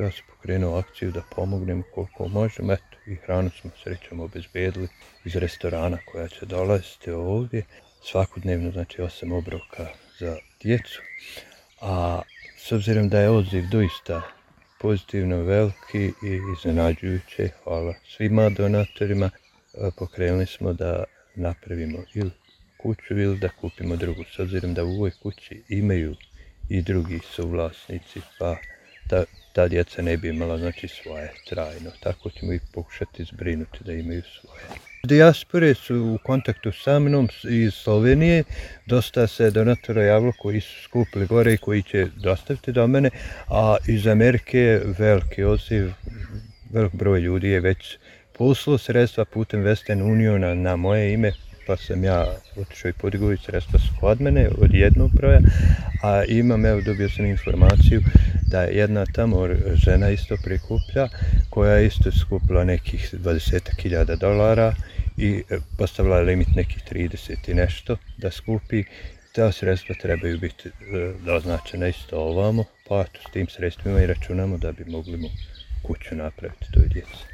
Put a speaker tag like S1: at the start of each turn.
S1: ja sam pokrenuo akciju da pomognem koliko možem, eto, i hranu smo srećom obezbedili iz restorana koja će dolaziti ovdje. Svakodnevno, znači 8 obroka za djecu, a s obzirom da je odziv doista pozitivno veliki i iznenađujuće, hvala svima donatorima, pokrenuli smo da napravimo ili kuću ili da kupimo drugu, s obzirom da u ovoj kući imaju i drugi suvlasnici, pa ta djeca ne bi imala, znači, svoje trajno, tako ćemo ih pokušati zbrinuti da imaju svoje. Dijaspore su u kontaktu sa mnom iz Slovenije, dosta se donatora javilo koji su skupili gore i koji će dostaviti do mene, a iz Amerike je veliki odziv, velik broj ljudi je već poslao sredstva putem Western Uniona na moje ime, pa sam ja otišao i podigao sredstva su kod mene od jednog broja, a imam, evo, dobio sam informaciju da je jedna tamo žena isto prikuplja, koja je isto skupila nekih $20.000 i postavila je limit nekih 30 i nešto da skupi. Ta sredstva trebaju biti doznačena isto ovamo, pa s tim sredstvima i računamo da bi mogli kuću napraviti toj djeci.